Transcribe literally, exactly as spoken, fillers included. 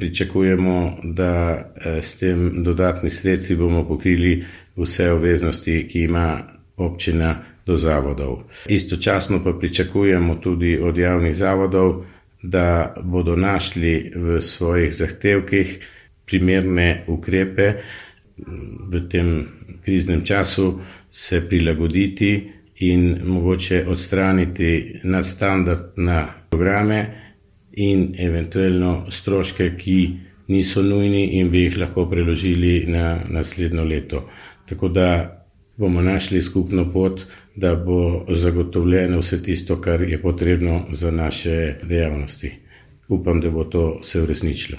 Pričakujemo, da s tem dodatni sredstvi bomo pokrili vse obveznosti, ki ima občina do zavodov. Istočasno pa pričakujemo tudi od javnih zavodov, da bodo našli v svojih zahtevkih primerne ukrepe v tem kriznem času se prilagoditi in mogoče odstraniti nadstandardne programe in eventualno stroške, ki niso nujni in bi jih lahko preložili na naslednjo leto. Tako da bomo našli skupno pot, da bo zagotovljeno vse tisto, kar je potrebno za naše dejavnosti. Upam, da bo to se uresničilo.